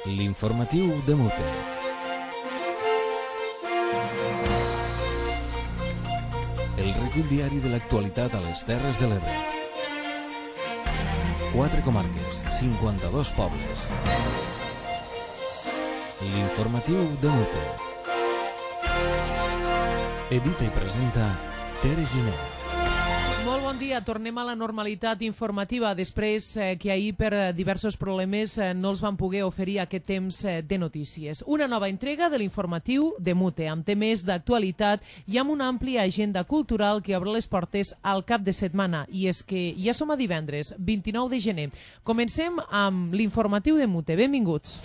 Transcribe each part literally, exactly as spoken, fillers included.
L'informatiu de Mute. El recull diari de l'actualitat a les Terres de l'Ebre. Quatre comarques, cinquanta-dos pobles. L'informatiu de Mute. Edita i presenta Tere Giner. Molt bon dia, tornem a la normalitat informativa després eh, que ahir per diversos problemes eh, no els van poder oferir aquest temps eh, de notícies. Una nova entrega de l'informatiu de Mute, amb temes d'actualitat i amb una àmplia agenda cultural que obre les portes al cap de setmana. I és que ja som a divendres, vint-i-nou de gener. Comencem amb l'informatiu de Mute. Benvinguts.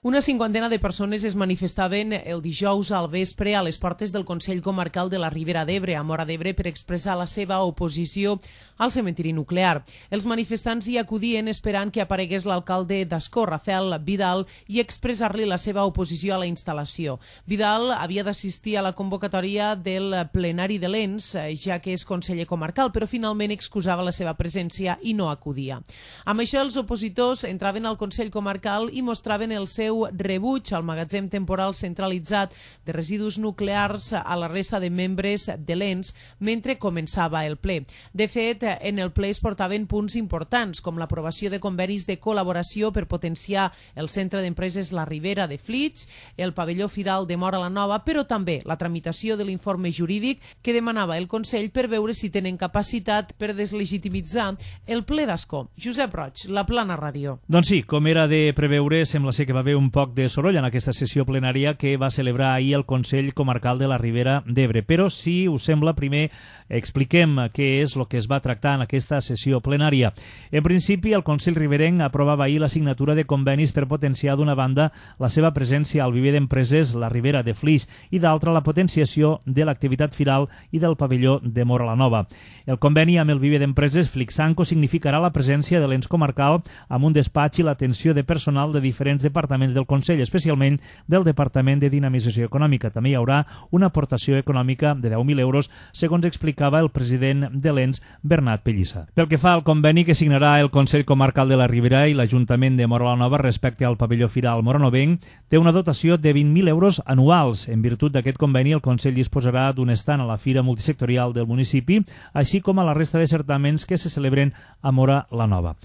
Una cinquantena de persones es manifestaven el dijous al vespre a les portes del Consell Comarcal de la Ribera d'Ebre, a Móra d'Ebre, per expressar la seva oposició al cementiri nuclear. Els manifestants hi acudien esperant que aparegués l'alcalde d'Ascó, Rafael Vidal, i expressar-li la seva oposició a la instal·lació. Vidal havia d'assistir a la convocatòria del plenari de l'Ens, ja que és conseller comarcal, però finalment excusava la seva presència i no acudia. Amb això, els opositors entraven al Consell Comarcal i mostraven el seu rebuig al magatzem temporal centralitzat de residus nuclears a la resta de membres de l'Ens mentre començava el ple. De fet, en el ple es portaven punts importants, com l'aprovació de convenis de col·laboració per potenciar el centre d'empreses La Ribera de Flix, el pavelló firal de Móra la Nova, però també la tramitació de l'informe jurídic que demanava el Consell per veure si tenen capacitat per deslegitimitzar el ple d'Ascó. Josep Roig, La Plana Ràdio. Doncs sí, com era de preveure, sembla ser que va haver un poc de soroll en aquesta sessió plenària que va celebrar ahir el Consell Comarcal de la Ribera d'Ebre. Però, si us sembla, primer expliquem què és el que es va tractar en aquesta sessió plenària. En principi, el Consell Riberenc aprovava ahir la signatura de convenis per potenciar d'una banda la seva presència al viver d'empreses La Ribera de Flix i d'altra la potenciació de l'activitat firal i del pavelló de Móra la Nova. El conveni amb el viver d'empreses Flixanco significarà la presència de l'ens comarcal amb un despatx i l'atenció de personal de diferents departaments del Consell, especialment del Departament de Dinamització Econòmica. També hi haurà una aportació econòmica de deu mil euros, segons explicava el president de l'Ens, Bernat Pellissa. Pel que fa al conveni que signarà el Consell Comarcal de la Ribera i l'Ajuntament de Móra la Nova respecte al pavelló firal moranovenc, té una dotació de vint mil euros anuals. En virtut d'aquest conveni, el Consell disposarà d'un estand a la Fira Multisectorial del municipi, així com a la resta de certaments que se celebren a Móra la Nova.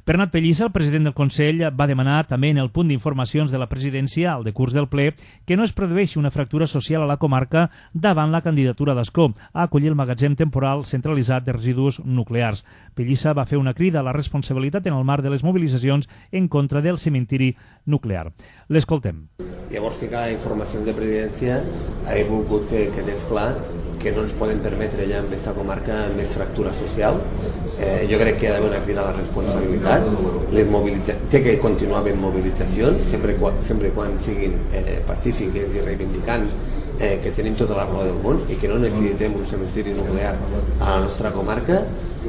Bernat Pellissa, el president del Consell, va demanar també en el punt d'informacions de la presidència, al decurs del ple, que no es produeixi una fractura social a la comarca davant la candidatura d'Ascó a acollir el magatzem temporal centralitzat de residus nuclears. Pellissa va fer una crida a la responsabilitat en el marc de les mobilitzacions en contra del cementiri nuclear. L'escoltem. Llavors sí que la informació de presidència he volgut que quedés clar que no ens poden permetre ja en aquesta comarca més fractura social. Eh, jo crec que hi ha d'haver una crida a la responsabilitat. Les mobilitza... Té que continuar havent mobilitzacions, sempre, sempre quan siguin eh, pacífiques i reivindicant eh, que tenim tota la raó del món i que no necessitem un cementiri nuclear a la nostra comarca,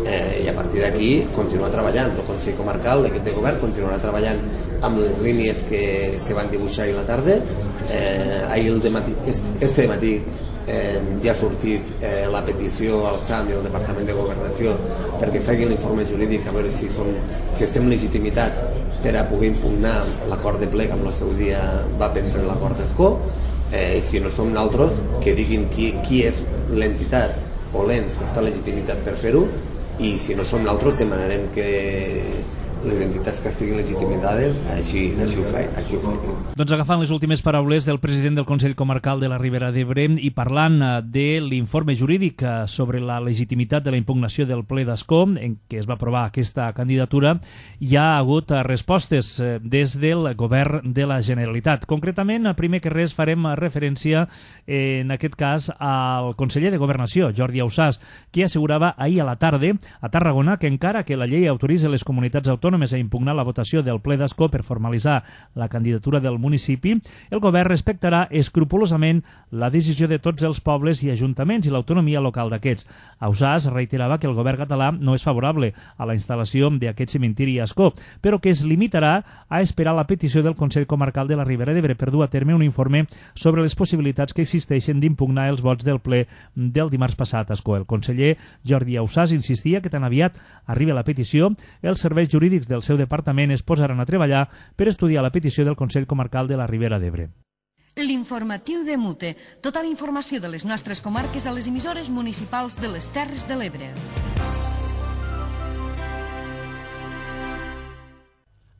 eh, i a partir d'aquí continuar treballant. El Consell Comarcal, l'equip de govern, continuarà treballant amb les línies que se van dibuixar ahir a la tarda. Eh, ahir el dematí, este matí Eh, ja ha sortit eh, la petició al S A M i al Departament de Governació perquè facin l'informe jurídic a veure si, som, si estem legitimitats per a poder impugnar l'acord de ple que amb el seu dia va prendre l'acord d'Ascó. Eh, si no som nosaltres, que diguin qui, qui és l'entitat o l'ens que està legitimitat per fer-ho, i si no som nosaltres demanarem que les entitats que estiguin legitimades així, així ho faig. Així ho faig. Doncs agafant les últimes paraules del president del Consell Comarcal de la Ribera d'Ebre i parlant de l'informe jurídic sobre la legitimitat de la impugnació del ple d'Ascó en què es va aprovar aquesta candidatura, hi ha hagut respostes des del govern de la Generalitat. Concretament, primer que res farem referència en aquest cas al conseller de Governació, Jordi Ausàs, que assegurava ahir a la tarda a Tarragona que encara que la llei autoritza les comunitats autònomes a impugnar la votació del ple d'Ascó per formalitzar la candidatura del municipi, el govern respectarà escrupolosament la decisió de tots els pobles i ajuntaments i l'autonomia local d'aquests. Ausàs reiterava que el govern català no és favorable a la instal·lació d'aquest cementiri a Ascó, però que es limitarà a esperar la petició del Consell Comarcal de la Ribera d'Ebre per dur a terme un informe sobre les possibilitats que existeixen d'impugnar els vots del ple del dimarts passat a Ascó. El conseller Jordi Ausàs insistia que tan aviat arriba la petició, els serveis jurídics tècnics del seu departament es posaran a treballar per estudiar la petició del Consell Comarcal de la Ribera d'Ebre. L'informatiu de Mute. Tota la informació de les nostres comarques a les emissores municipals de les Terres de l'Ebre.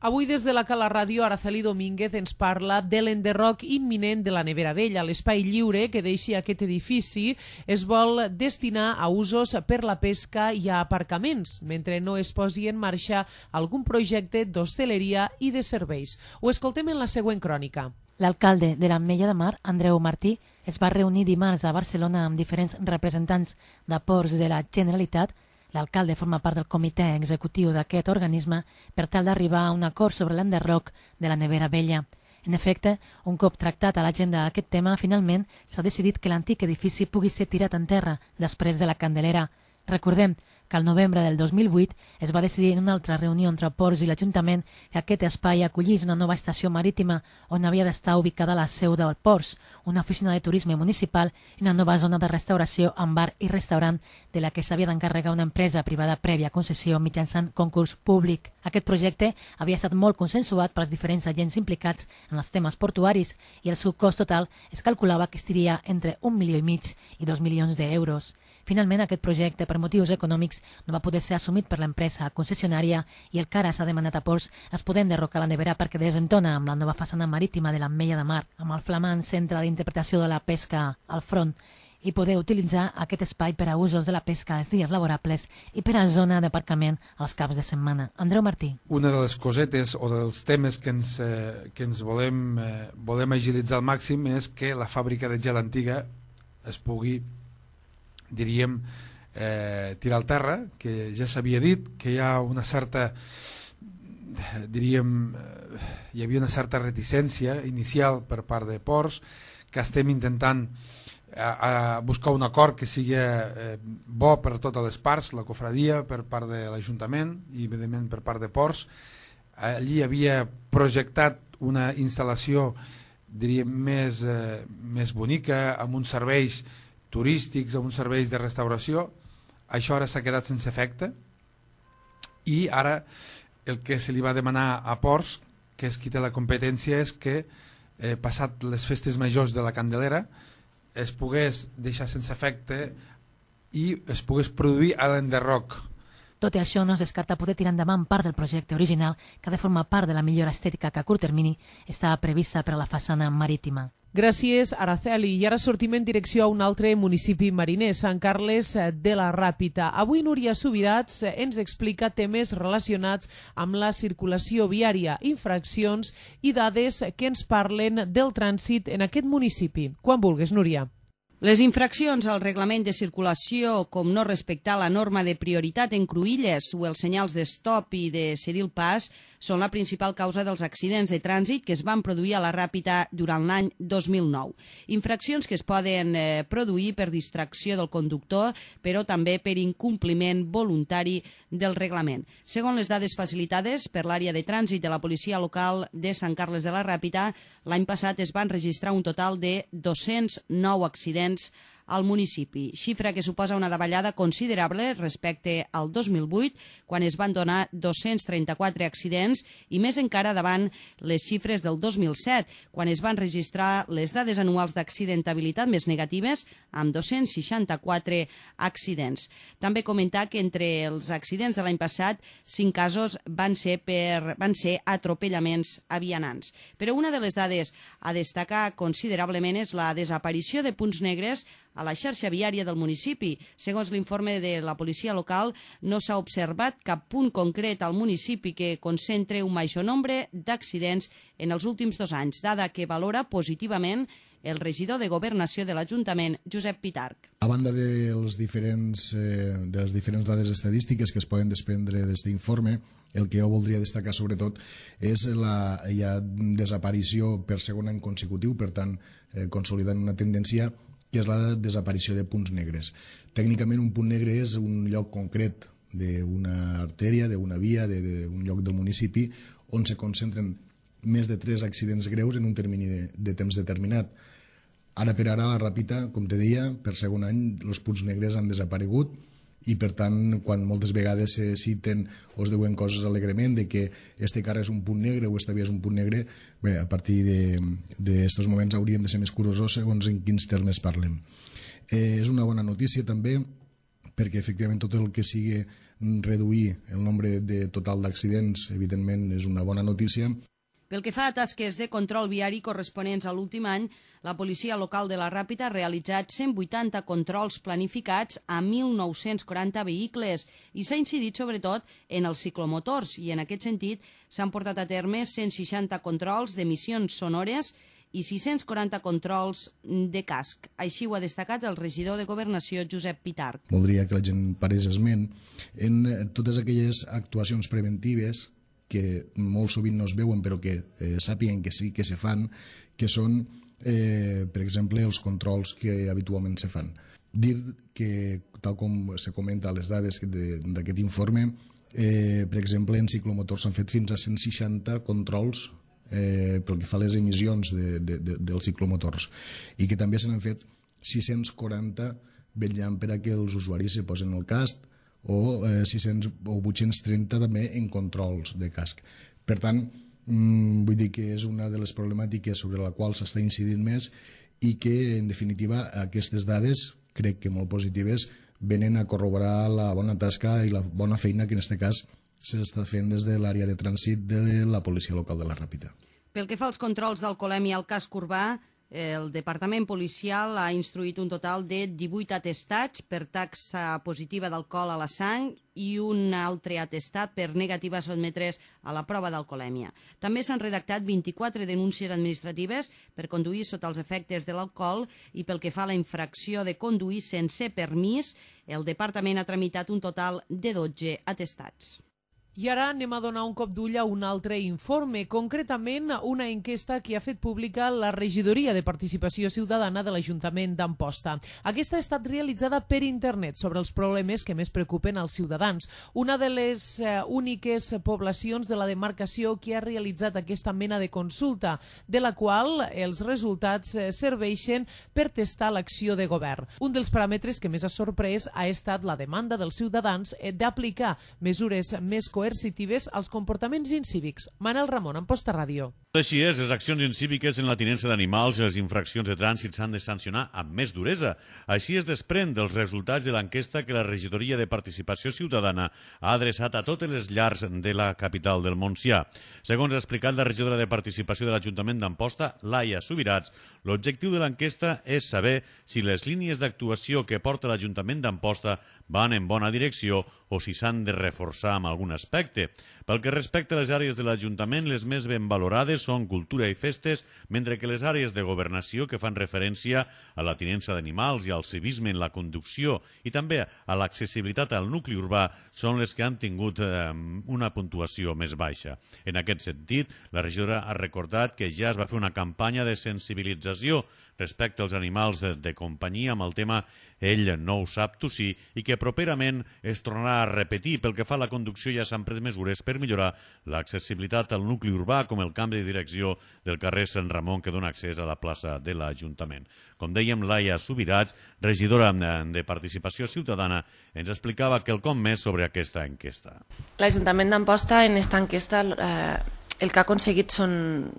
Avui des de la Cala Ràdio, Araceli Domínguez ens parla de l'enderroc imminent de la Nevera Vella. L'espai lliure que deixi aquest edifici es vol destinar a usos per la pesca i a aparcaments, mentre no es posi en marxa algun projecte d'hostaleria i de serveis. Ho escoltem en la següent crònica. L'alcalde de l'Ametlla de Mar, Andreu Martí, es va reunir dimarts a Barcelona amb diferents representants de ports de la Generalitat. L'alcalde forma part del comitè executiu d'aquest organisme per tal d'arribar a un acord sobre l'enderroc de la Nevera Vella. En efecte, un cop tractat a l'agenda aquest tema, finalment s'ha decidit que l'antic edifici pugui ser tirat en terra després de la Candelera. Recordem que al novembre del dos mil vuit es va decidir en una altra reunió entre Ports i l'Ajuntament que aquest espai acollís una nova estació marítima on havia d'estar ubicada la seu del Ports, una oficina de turisme municipal i una nova zona de restauració amb bar i restaurant de la que s'havia d'encarregar una empresa privada prèvia concessió mitjançant concurs públic. Aquest projecte havia estat molt consensuat pels diferents agents implicats en els temes portuaris i el seu cost total es calculava que estiria entre un milió i mig i dos milions d'euros. Finalment, aquest projecte, per motius econòmics, no va poder ser assumit per l'empresa concessionària i el que ara s'ha demanat a Ports es poder enderrocar la nevera perquè desentona amb la nova façana marítima de l'Ametlla de Mar, amb el flamant centre d'interpretació de la pesca al front, i poder utilitzar aquest espai per a usos de la pesca els dies laborables i per a zona d'aparcament els caps de setmana. Andreu Martí. Una de les cosetes o dels temes que ens, eh, que ens volem, eh, volem agilitzar al màxim és que la fàbrica de gel antiga es pugui, diríem, eh, tirar al terra, que ja s'havia dit que hi ha una certa, diríem, eh, hi havia una certa reticència inicial per part de Ports, que estem intentant a, a buscar un acord que sigui eh, bo per a totes les parts, la cofradia per part de l'Ajuntament i evidentment per part de Ports. Allí havia projectat una instal·lació, diríem, més, eh, més bonica, amb uns serveis turístics, amb uns serveis de restauració. Això ara s'ha quedat sense efecte i ara el que se li va demanar a Ports, que és qui té la competència, és que eh, passat les festes majors de la Candelera es pogués deixar sense efecte i es pogués produir a l'enderroc. Tot i això, no es descarta poder tirar endavant part del projecte original que ha de formar part de la millora estètica que a curt termini estava prevista per a la façana marítima. Gràcies, Araceli. I ara sortim en direcció a un altre municipi mariner, Sant Carles de la Ràpita. Avui Núria Subirats ens explica temes relacionats amb la circulació viària, infraccions i dades que ens parlen del trànsit en aquest municipi. Quan vulguis, Núria. Les infraccions al reglament de circulació, com no respectar la norma de prioritat en cruïlles o els senyals de stop i de cedir el pas, són la principal causa dels accidents de trànsit que es van produir a la Ràpita durant l'any dos mil nou. Infraccions que es poden eh, produir per distracció del conductor, però també per incompliment voluntari del reglament. Segons les dades facilitades per l'àrea de trànsit de la policia local de Sant Carles de la Ràpita, l'any passat es van registrar un total de dos-cents nou accidents al municipi, xifra que suposa una davallada considerable respecte al dos mil vuit, quan es van donar dos-cents trenta-quatre accidents, i més encara davant les xifres del dos mil set, quan es van registrar les dades anuals d'accidentabilitat més negatives, amb dos-cents seixanta-quatre accidents. També comentar que entre els accidents de l'any passat, cinc casos van ser, per, van ser atropellaments a vianants. Però una de les dades a destacar considerablement és la desaparició de punts negres a la xarxa viària del municipi. Segons l'informe de la policia local, no s'ha observat cap punt concret al municipi que concentre un major nombre d'accidents en els últims dos anys, dada que valora positivament el regidor de Governació de l'Ajuntament, Josep Pitarch. A banda dels diferents, eh, de les diferents dades estadístiques que es poden desprendre d'aquest informe, el que jo voldria destacar sobretot és la ja, desaparició per segon any consecutiu, per tant, eh, consolidant una tendència que és la desaparició de punts negres. Tècnicament, un punt negre és un lloc concret d'una artèria, d'una via, d'un lloc del municipi, on se concentren més de tres accidents greus en un termini de, de temps determinat. Ara per ara, a la Ràpita, com te deia, per segon any, els punts negres han desaparegut i per tant quan moltes vegades se citen o es diuen coses alegrement de que este carrer és un punt negre o esta via és un punt negre, bé, a partir d'estos moments hauríem de ser més curosos segons en quins termes parlem. Eh, és una bona notícia també perquè efectivament tot el que sigui reduir el nombre de total d'accidents evidentment és una bona notícia. Pel que fa a tasques de control viari corresponents a l'últim any, la policia local de la Ràpita ha realitzat cent vuitanta controls planificats a mil nou-cents quaranta vehicles i s'ha incidit sobretot en els ciclomotors i en aquest sentit s'han portat a terme cent seixanta controls d'emissions sonores i sis-cents quaranta controls de casc. Així ho ha destacat el regidor de Governació, Josep Pitarch. Voldria que la gent parés esment en totes aquelles actuacions preventives que molt sovint no es veuen però que eh, sàpiguen que sí que se fan, que són, eh, per exemple, els controls que habitualment se fan. Dir que, tal com se comenta a les dades d'aquest informe, eh, per exemple, en ciclomotors s'han fet fins a cent seixanta controls eh, pel que fa a les emissions de, de, de, dels ciclomotors i que també se n'han fet sis-cents quaranta vetllant per a que els usuaris se posen el casc o eh, sis-cents o vuit-cents trenta també en controls de casc. Per tant, mmm, vull dir que és una de les problemàtiques sobre la qual s'està incidint més i que, en definitiva, aquestes dades, crec que molt positives, venen a corroborar la bona tasca i la bona feina que en aquest cas s'està fent des de l'àrea de trànsit de la policia local de la Ràpita. Pel que fa als controls d'alcoholèmia al casc urbà, el Departament Policial ha instruït un total de divuit atestats per taxa positiva d'alcohol a la sang i un altre atestat per negativa a sotmetre's a la prova d'alcoholèmia. També s'han redactat vint-i-quatre denúncies administratives per conduir sota els efectes de l'alcohol i pel que fa a la infracció de conduir sense permís, el Departament ha tramitat un total de dotze atestats. I ara anem a donar un cop d'ull a un altre informe, concretament una enquesta que ha fet pública la Regidoria de Participació Ciutadana de l'Ajuntament d'Amposta. Aquesta ha estat realitzada per internet sobre els problemes que més preocupen als ciutadans. Una de les eh, úniques poblacions de la demarcació que ha realitzat aquesta mena de consulta, de la qual els resultats eh, serveixen per testar l'acció de govern. Un dels paràmetres que més ha sorprès ha estat la demanda dels ciutadans eh, d'aplicar mesures més coherents coercitives als comportaments incívics. Manel Ramon, Amposta Ràdio. Així és, les accions incíviques en la tinença d'animals i les infraccions de trànsit s'han de sancionar amb més duresa. Així es desprèn dels resultats de l'enquesta que la Regidoria de Participació Ciutadana ha adreçat a totes les llars de la capital del Montsià. Segons ha explicat la regidora de Participació de l'Ajuntament d'Amposta, Laia Subirats, l'objectiu de l'enquesta és saber si les línies d'actuació que porta l'Ajuntament d'Amposta van en bona direcció o si s'han de reforçar en algun aspecte. Pel que respecta a les àrees de l'Ajuntament, les més ben valorades són cultura i festes, mentre que les àrees de governació que fan referència a la tinença d'animals i al civisme en la conducció i també a l'accessibilitat al nucli urbà són les que han tingut eh, una puntuació més baixa. En aquest sentit, la regidora ha recordat que ja es va fer una campanya de sensibilització respecte als animals de, de companyia amb el tema Ell no ho sap, tu sí, i que properament es tornarà a repetir. Pel que fa a la conducció ja s'han pres mesures per millorar l'accessibilitat al nucli urbà, com el canvi de direcció del carrer Sant Ramon que dona accés a la plaça de l'Ajuntament. Com dèiem, Laia Subirats, regidora de Participació Ciutadana, ens explicava quelcom més sobre aquesta enquesta. L'Ajuntament d'Amposta en aquesta enquesta eh, el que ha aconseguit són,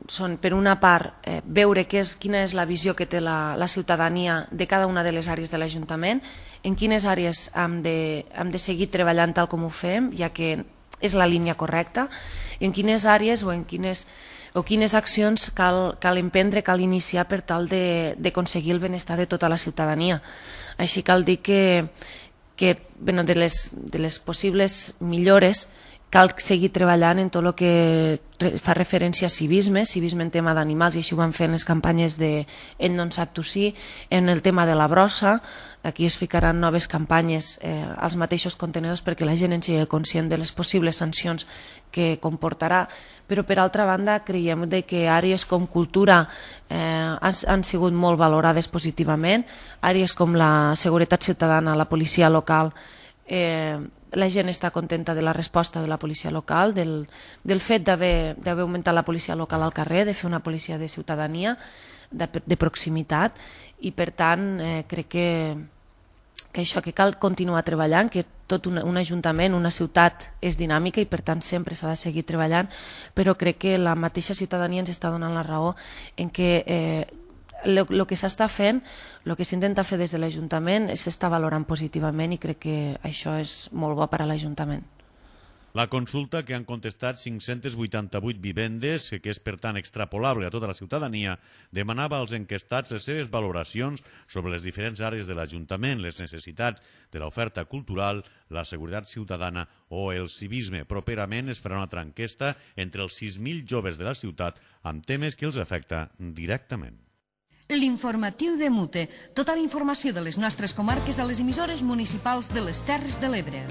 són per una part, eh, veure què és, quina és la visió que té la, la ciutadania de cada una de les àrees de l'Ajuntament, en quines àrees hem de, hem de seguir treballant tal com ho fem, ja que és la línia correcta, i en quines àrees o en quines, o quines accions cal, cal emprendre, cal iniciar per tal d'aconseguir el benestar de tota la ciutadania. Així cal dir que, que bueno, de, les, de les possibles millores cal seguir treballant en tot el que fa referència a civisme, civisme en tema d'animals, i així ho vam fer en les campanyes de Ell no en sap, tu sí, en el tema de la brossa. Aquí es ficaran noves campanyes eh, als mateixos contenedors perquè la gent en sigui conscient de les possibles sancions que comportarà, però per altra banda creiem que àrees com cultura eh, han, han sigut molt valorades positivament, àrees com la seguretat ciutadana, la policia local, eh, la gent està contenta de la resposta de la policia local, del, del fet d'haver augmentat la policia local al carrer, de fer una policia de ciutadania, de, de proximitat, i per tant eh, crec que, que això, que cal continuar treballant, que tot un, un ajuntament, una ciutat és dinàmica i per tant sempre s'ha de seguir treballant, però crec que la mateixa ciutadania ens està donant la raó en que eh, el que s'està fent, el que s'intenta fer des de l'Ajuntament s'està valorant positivament i crec que això és molt bo per a l'Ajuntament. La consulta, que han contestat cinc-centes vuitanta-vuit vivendes, que és per tant extrapolable a tota la ciutadania, demanava als enquestats les seves valoracions sobre les diferents àrees de l'Ajuntament, les necessitats de l'oferta cultural, la seguretat ciutadana o el civisme. Properament es farà una altra enquesta entre els sis mil joves de la ciutat amb temes que els afecta directament. L'informatiu de Mute. Tota la informació de les nostres comarques a les emissores municipals de les Terres de l'Ebre.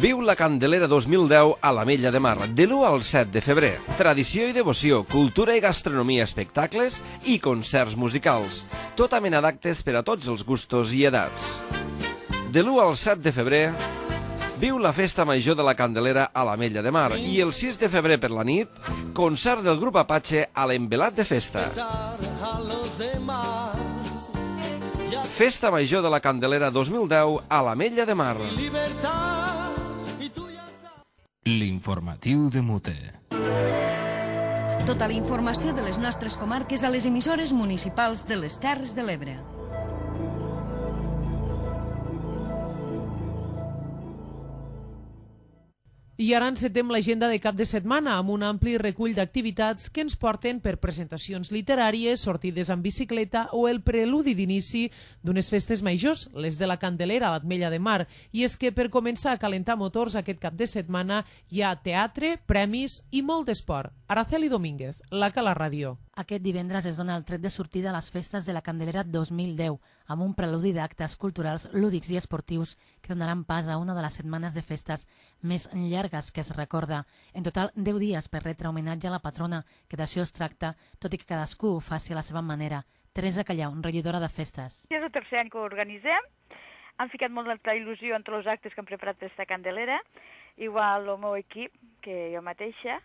Viu la Candelera dos mil deu a l'Ametlla de Mar, de l'u al set de febrer. Tradició i devoció, cultura i gastronomia, espectacles i concerts musicals. Tota mena d'actes per a tots els gustos i edats. De l'u al set de febrer, viu la festa major de la Candelera a l'Ametlla de Mar i el sis de febrer per la nit, concert del grup Apache a l'Envelat de Festa. Festa major de la Candelera dos mil deu a l'Ametlla de Mar. L'informatiu de Mute. Tota la informació de les nostres comarques a les emissores municipals de les Terres de l'Ebre. I ara encetem l'agenda de cap de setmana amb un ampli recull d'activitats que ens porten per presentacions literàries, sortides amb bicicleta o el preludi d'inici d'unes festes majors, les de la Candelera a l'Ametlla de Mar. I és que per començar a calentar motors aquest cap de setmana hi ha teatre, premis i molt d'esport. Araceli Domínguez, la Cala Ràdio. Aquest divendres es dona el tret de sortida a les festes de la Candelera dos mil deu, amb un preludi d'actes culturals, lúdics i esportius que donaran pas a una de les setmanes de festes més llargues que es recorda. En total, deu dies per retre homenatge a la patrona, que d'això es tracta, tot i que cadascú ho faci a la seva manera. Teresa Callau, regidora de festes. És el tercer any que ho organitzem. Han ficat molt de il·lusió entre els actes que han preparat per aquesta Candelera, igual el meu equip, que jo mateixa,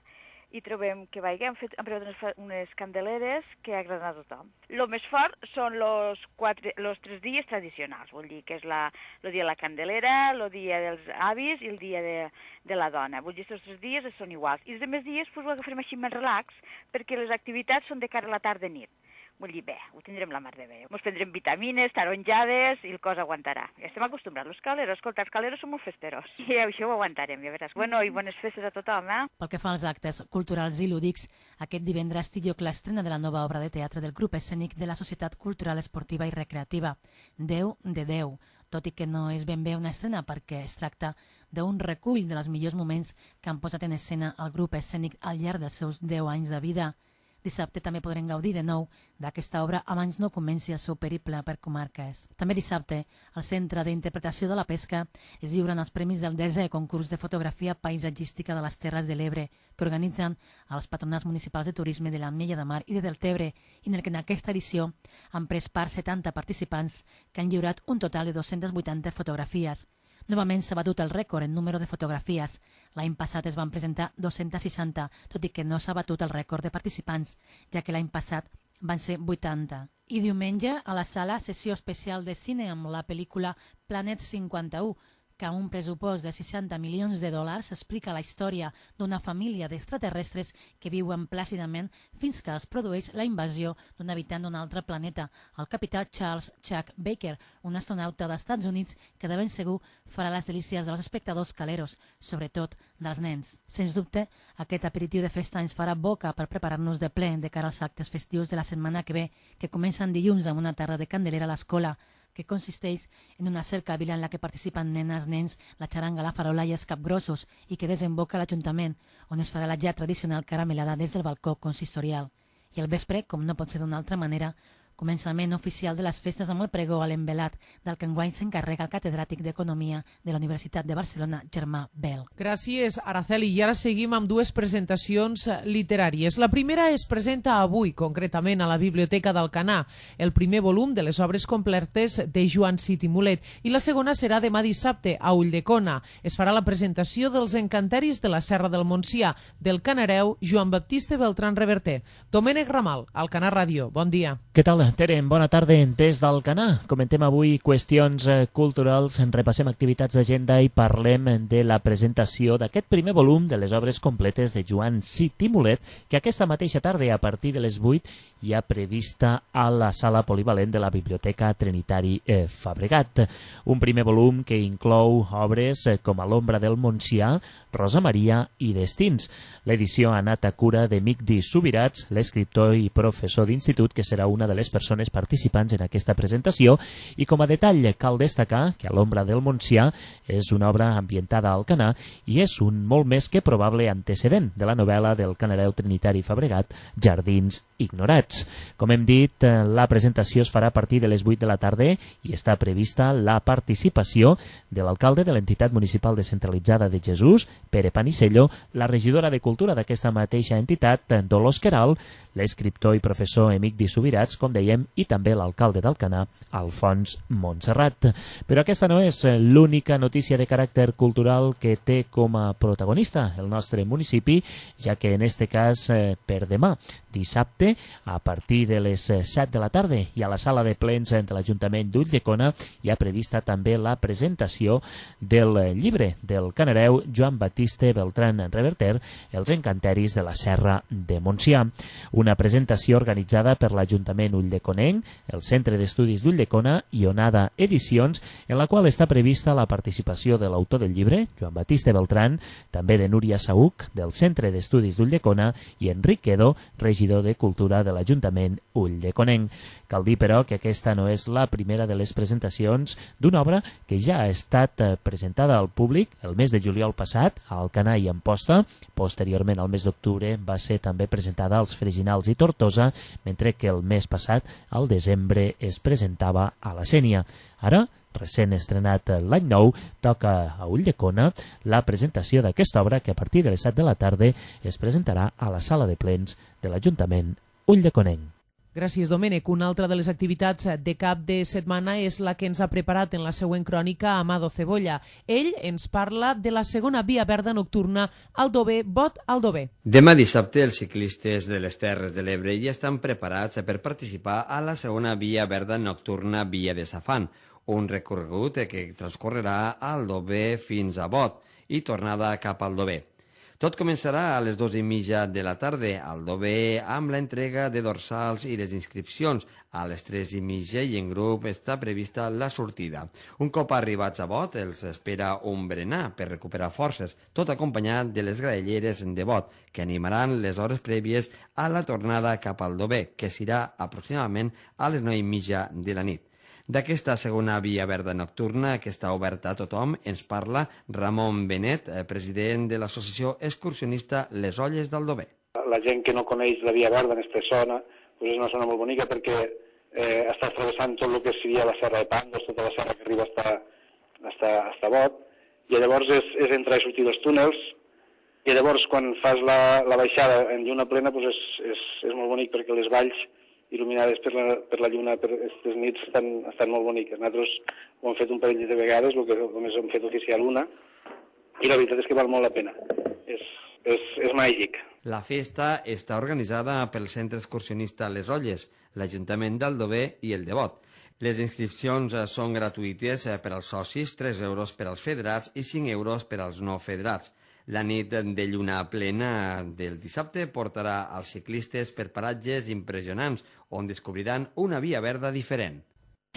i trobem que vaig, hem fet hem preparat unes, unes candeleres que agraden a tothom. El més fort són els tres dies tradicionals, vull dir que és la, el dia de la Candelera, el dia dels avis i el dia de, de la dona. Vull dir que aquests tres dies són iguals. I els altres dies pues, ho agafarem així més relax, perquè les activitats són de cara a la tarda i nit. Vull dir, bé, ho tindrem la mar de bé. Ens prendrem vitamines, taronjades i el cos aguantarà. Ja estem acostumbrats, els caleros. Escolta, els caleros són molt festeros. I això ho aguantarem, ja veràs. Bueno, i bones festes a tothom, eh? Pel que fa als actes culturals i lúdics, aquest divendres té lloc l'estrena de la nova obra de teatre del grup escènic de la Societat Cultural Esportiva i Recreativa, Déu de Déu, tot i que no és ben bé una estrena perquè es tracta d'un recull de els millors moments que han posat en escena el grup escènic al llarg dels seus deu anys de vida. Dissabte també podrem gaudir de nou d'aquesta obra abans no comenci el seu periple per comarques. També dissabte, al Centre d'Interpretació de la Pesca es lliuren els premis del desè concurs de fotografia paisatgística de les Terres de l'Ebre que organitzen els patronats municipals de turisme de l'Ametlla de Mar i de Deltebre, i en el que en aquesta edició han pres part setanta participants que han lliurat un total de dos-centes vuitanta fotografies. Novament s'ha batut el rècord en número de fotografies. L'any passat es van presentar dos-centes seixanta, tot i que no s'ha batut el rècord de participants, ja que l'any passat van ser vuitanta. I diumenge, a la sala, sessió especial de cine amb la pel·lícula Planet cinquanta-u, que amb un pressupost de seixanta milions de dòlars explica la història d'una família d'extraterrestres que viuen plàcidament fins que es produeix la invasió d'un habitant d'un altre planeta, el capità Charles Chuck Baker, un astronauta dels Estats Units que de ben segur farà les delícies dels espectadors caleros, sobretot dels nens. Sens dubte, aquest aperitiu de festa ens farà boca per preparar-nos de ple de cara als actes festius de la setmana que ve, que comencen dilluns amb una tarda de Candelera a l'escola, que consisteix en una cercavila en la que participen nenes, nens, la xaranga, la farola i els capgrossos, i que desemboca a l'Ajuntament, on es farà la ja tradicional caramelada des del balcó consistorial. I al vespre, com no pot ser d'una altra manera, Començament oficial de les festes amb el pregó a l'envelat, del que enguany s'encarrega el catedràtic d'Economia de la Universitat de Barcelona, Germà Bel. Gràcies, Araceli. I ara seguim amb dues presentacions literàries. La primera es presenta avui, concretament a la Biblioteca d'Alcanar, el primer volum de les obres completes de Joan Cid i Mulet, i la segona serà demà dissabte a Ulldecona. Es farà la presentació dels encanteris de la Serra del Montsià, del canareu Joan Baptista Beltrán Reverter. Domènec Ramal, Alcanar Ràdio. Bon dia. Què tal, Tere? Bona tarda des d'Alcanar. Comentem avui qüestions culturals, repassem activitats d'agenda i parlem de la presentació d'aquest primer volum de les obres completes de Joan Cid i Mulet, que aquesta mateixa tarda, a partir de les vuit, hi ha prevista a la sala polivalent de la Biblioteca Trinitari eh, Fabregat. Un primer volum que inclou obres eh, com A l'ombra del Montsià, Rosa Maria i Destins. L'edició ha anat a cura de Migdi Subirats, l'escriptor i professor d'institut, que serà una de les persones participants en aquesta presentació, i com a detall cal destacar que A l'ombra del Montsià és una obra ambientada a Alcanar i és un molt més que probable antecedent de la novel·la del canareu trinitari Fabregat, Jardins ignorats. Com hem dit, la presentació es farà a partir de les vuit de la tarda i està prevista la participació de l'alcalde de l'entitat municipal descentralitzada de Jesús, Pere Panisello, la regidora de Cultura d'aquesta mateixa entitat, Dolors Queralt, l'escriptor i professor Emigdi Subirats, com dèiem, i també l'alcalde d'Alcanar, Alfons Montserrat. Però aquesta no és l'única notícia de caràcter cultural que té com a protagonista el nostre municipi, ja que en este cas, per demà, dissabte, a partir de les set de la tarda i a la sala de plens de l'Ajuntament d'Ulldecona hi ha prevista també la presentació del llibre del canareu Joan Baptista Beltrán Reverter, Els encanteris de la Serra de Montsià. Una presentació organitzada per l'Ajuntament ulldeconenc, el Centre d'Estudis d'Ulldecona i Onada Edicions, en la qual està prevista la participació de l'autor del llibre, Joan Baptista Beltrán, també de Núria Saúc, del Centre d'Estudis d'Ulldecona, i Enric Quedo, regidor de Cultura de l'Ajuntament ulldeconenc. Cal dir, però, que aquesta no és la primera de les presentacions d'una obra que ja ha estat presentada al públic el mes de juliol passat a Alcanar i Amposta. Posteriorment, al mes d'octubre, va ser també presentada als Freginals i Tortosa, mentre que el mes passat, al desembre, es presentava a la Sénia. Ara, recent estrenat l'any nou, toca a Ulldecona la presentació d'aquesta obra que a partir de les set de la tarda es presentarà a la sala de plens de l'Ajuntament ulldeconenc. Gràcies, Domènec. Una altra de les activitats de cap de setmana és la que ens ha preparat en la següent crònica Amado Cebolla. Ell ens parla de la segona via verda nocturna Aldover, Bot Aldover. Demà dissabte els ciclistes de les Terres de l'Ebre ja estan preparats per participar a la segona via verda nocturna Via de Safant, un recorregut que transcorrerà a Aldover fins a Bot i tornada cap a Aldover. Tot començarà a les dues i mitja de la tarda a Aldover amb l'entrega de dorsals i les inscripcions. A les tres i mitja i en grup està prevista la sortida. Un cop arribats a Bot els espera un berenar per recuperar forces, tot acompanyat de les graelleres de Bot, que animaran les hores prèvies a la tornada cap a Aldover, que serà aproximadament a les nou i mitja de la nit. D'aquesta segona via verda nocturna, que està oberta a tothom, ens parla Ramon Benet, president de l'associació excursionista Les Olles d'Aldover. La gent que no coneix la via verda en aquesta zona, doncs és una zona molt bonica perquè eh, està travessant tot el que seria la serra de Pandos, tota la serra que arriba hasta, hasta, hasta Bot, i llavors és, és entrar i sortir dels túnels, i llavors quan fas la, la baixada en lluna plena doncs és, és, és molt bonic perquè les valls il·luminades per la, per la lluna per aquestes nits estan, estan molt boniques. Nosaltres ho hem fet un parell de vegades, el que només hem fet oficial una, i la veritat és que val molt la pena. És, és, és màgic. La festa està organitzada pel Centre Excursionista Les Olles, l'Ajuntament d'Aldover i el de Bot. Les inscripcions són gratuïtes per als socis, tres euros per als federats i cinc euros per als no federats. La nit de lluna plena del dissabte portarà als ciclistes per paratges impressionants, on descobriran una via verda diferent.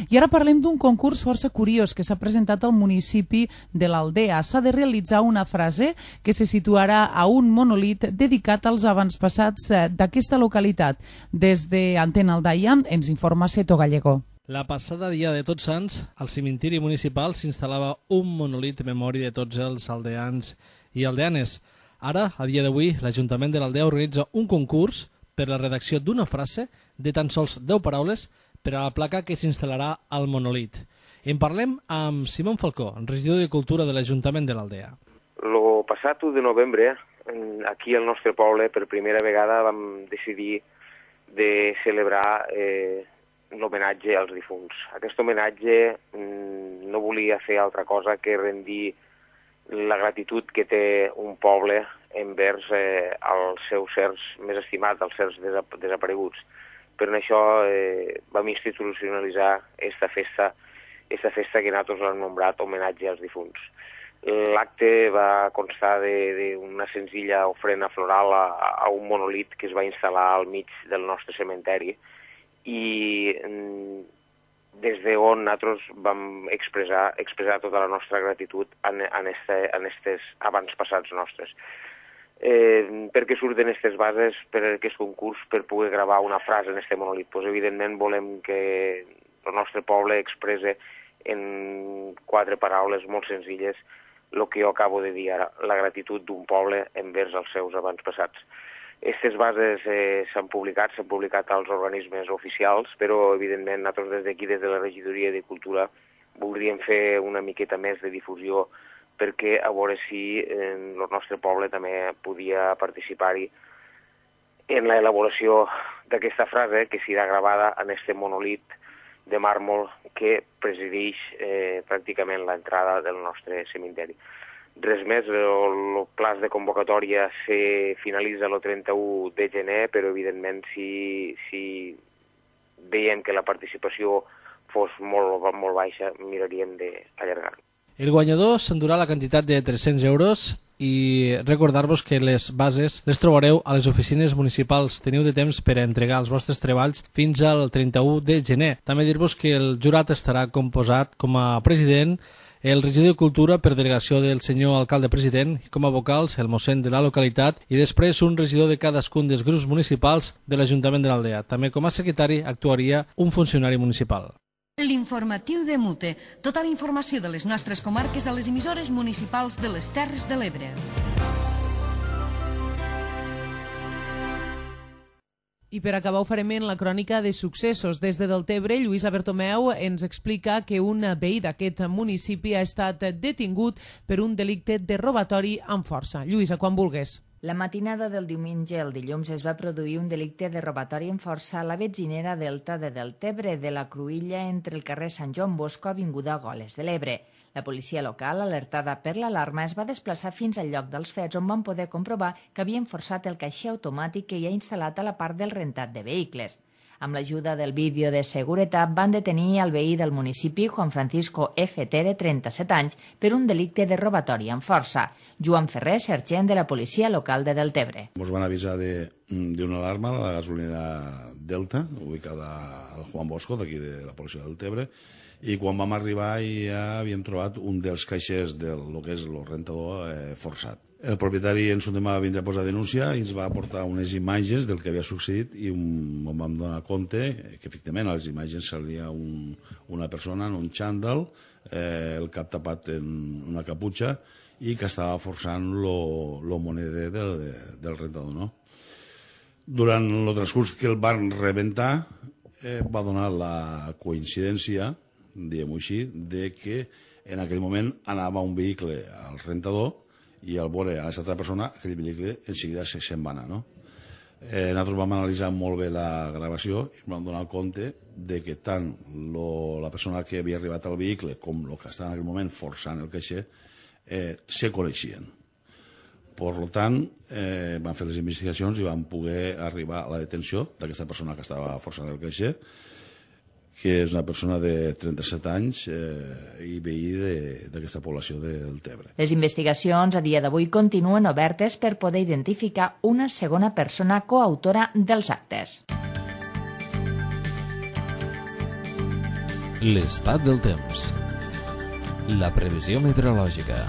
I ara parlem d'un concurs força curiós que s'ha presentat al municipi de l'Aldea. S'ha de realitzar una frase que se situarà a un monolit dedicat als avantpassats d'aquesta localitat. Des d'Antena Aldaia ens informa Seto Gallego. La passada dia de Tots Sants, al cimentiri municipal s'instal·lava un monolit en memòria de tots els aldeans i aldeanes. Ara, a dia d'avui, l'Ajuntament de l'Aldea organitza un concurs per la redacció d'una frase de tan sols deu paraules per a la placa que s'instal·larà al monòlit. En parlem amb Simón Falcó, regidor de Cultura de l'Ajuntament de l'Aldea. El passat u de novembre, aquí al nostre poble, per primera vegada vam decidir de celebrar eh, l'homenatge als difunts. Aquest homenatge mm, no volia fer altra cosa que rendir la gratitud que té un poble envers eh, els seus sers més estimats, els sers desap desapareguts. Per això eh, vam institucionalitzar aquesta festa, aquesta festa que nosaltres l'hem nombrat homenatge als difunts. L'acte va constar d'una senzilla ofrena floral a, a un monolit que es va instal·lar al mig del nostre cementeri i mm, des d'on nosaltres vam expressar, expressar tota la nostra gratitud en, en, este, en estes avantpassats nostres. Eh, per què surten aquestes bases per aquest concurs per poder gravar una frase en este monolit? Pues, evidentment volem que el nostre poble expresse en quatre paraules molt senzilles el que jo acabo de dir ara, la gratitud d'un poble envers els seus avantpassats. Aquestes bases eh, s'han publicat, s'han publicat als organismes oficials, però evidentment nosaltres des d'aquí, des de la Regidoria de Cultura, voldríem fer una miqueta més de difusió perquè a veure si eh, el nostre poble també podia participar-hi en l'elaboració d'aquesta frase que serà gravada en este monolit de màrmol que presideix eh, pràcticament l'entrada del nostre cementeri. Res més, el plaç de convocatòria se finalitza el trenta-u de gener, però evidentment si, si veiem que la participació fos molt, molt baixa, miraríem d'allargar-ho. El guanyador s'endurà la quantitat de tres-cents euros i recordar-vos que les bases les trobareu a les oficines municipals. Teniu de temps per a entregar els vostres treballs fins al trenta-u de gener. També dir-vos que el jurat estarà composat com a president el regidor de Cultura per delegació del senyor alcalde president i com a vocals el mossèn de la localitat i després un regidor de cadascun dels grups municipals de l'Ajuntament de l'Aldea. També com a secretari actuaria un funcionari municipal. L'informatiu de Mute. Tota la informació de les nostres comarques a les emissores municipals de les Terres de l'Ebre. I per acabar ho farem en la crònica de successos. Des de Deltebre, Lluïsa Bertomeu ens explica que un veí d'aquest municipi ha estat detingut per un delicte de robatori amb força. Lluïsa, quan vulgues. La matinada del diumenge al dilluns es va produir un delicte de robatori amb força a la betzinera Delta de Deltebre de la Cruïlla entre el carrer Sant Joan Bosco avinguda Goles de l'Ebre. La policia local, alertada per l'alarma, es va desplaçar fins al lloc dels fets on van poder comprovar que havien forçat el caixer automàtic que hi ha instal·lat a la part del rentat de vehicles. Amb l'ajuda del vídeo de seguretat van detenir el veí del municipi, Juan Francisco F T, de trenta-set anys, per un delicte de robatori amb força. Joan Ferrer, sergent de la policia local de Deltebre. Ens van avisar d'una alarma a la gasolinera Delta, ubicada al Juan Bosco, d'aquí de la policia de Deltebre, i quan vam arribar ja havíem trobat un dels caixers del que és el rentador eh, forçat. El propietari ens va vindre a posar denúncia i ens va aportar unes imatges del que havia succeït i un, vam donar compte que efectivament a les imatges salia un, una persona en un xandall, eh, el cap tapat en una caputxa i que estava forçant el moneder del, del rentador. No? Durant el transcurs que el van rebentar eh, va donar la coincidència, diguem-ho així, de que en aquell moment anava un vehicle al rentador i al veure a aquesta altra persona, aquell vehicle en seguida se'n va anar. No? Eh, nosaltres vam analitzar molt bé la gravació i vam donar compte de que tant lo, la persona que havia arribat al vehicle com el que estava en aquell moment forçant el caixer eh, se coneixien. Per tant, eh, van fer les investigacions i van poder arribar a la detenció d'aquesta persona que estava forçant el caixer, que és una persona de trenta-set anys eh, i veí d'aquesta població de Deltebre. Les investigacions a dia d'avui continuen obertes per poder identificar una segona persona coautora dels actes. L'estat del temps. La previsió meteorològica.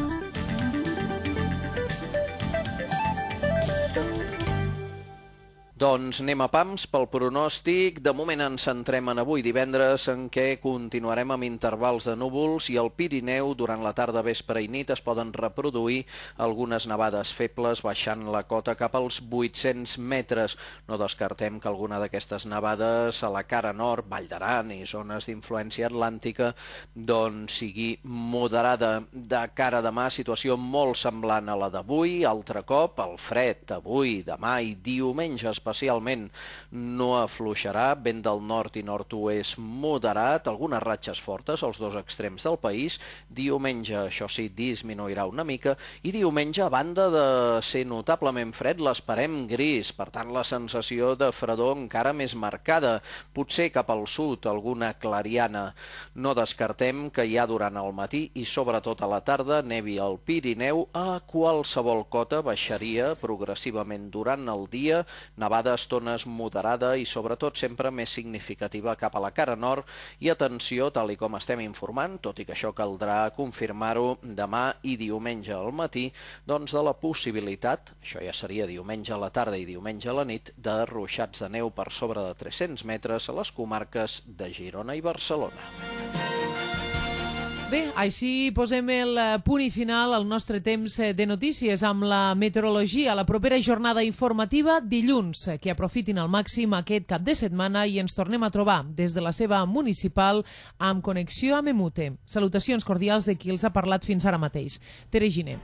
Doncs anem a pams pel pronòstic. De moment ens centrem en avui divendres, en què continuarem amb intervals de núvols i al Pirineu durant la tarda, vespre i nit es poden reproduir algunes nevades febles baixant la cota cap als vuit-cents metres. No descartem que alguna d'aquestes nevades a la cara nord, Vall d'Aran i zones d'influència atlàntica, doncs sigui moderada. De cara a demà, situació molt semblant a la d'avui. Altre cop, el fred avui, demà i diumenge especialment especialment no afluixarà, vent del nord i nord-oest moderat, algunes ratxes fortes als dos extrems del país. Diumenge, això sí, disminuirà una mica, i diumenge, a banda de ser notablement fred, l'esperem gris, per tant la sensació de fredor encara més marcada, potser cap al sud, alguna clariana. No descartem que ja durant el matí i sobretot a la tarda nevi al Pirineu, a qualsevol cota baixaria progressivament durant el dia, nevada estones moderada i sobretot sempre més significativa cap a la cara nord. I atenció, tal i com estem informant, tot i que això caldrà confirmar-ho demà i diumenge al matí, doncs de la possibilitat, això ja seria diumenge a la tarda i diumenge a la nit, de ruixats de neu per sobre de tres-cents metres a les comarques de Girona i Barcelona. Bé, així posem el punt i final al nostre temps de notícies amb la meteorologia. La propera jornada informativa dilluns, que aprofitin al màxim aquest cap de setmana i ens tornem a trobar des de la seva municipal amb connexió amb Emute. Salutacions cordials de qui els ha parlat fins ara mateix. Tere Giner.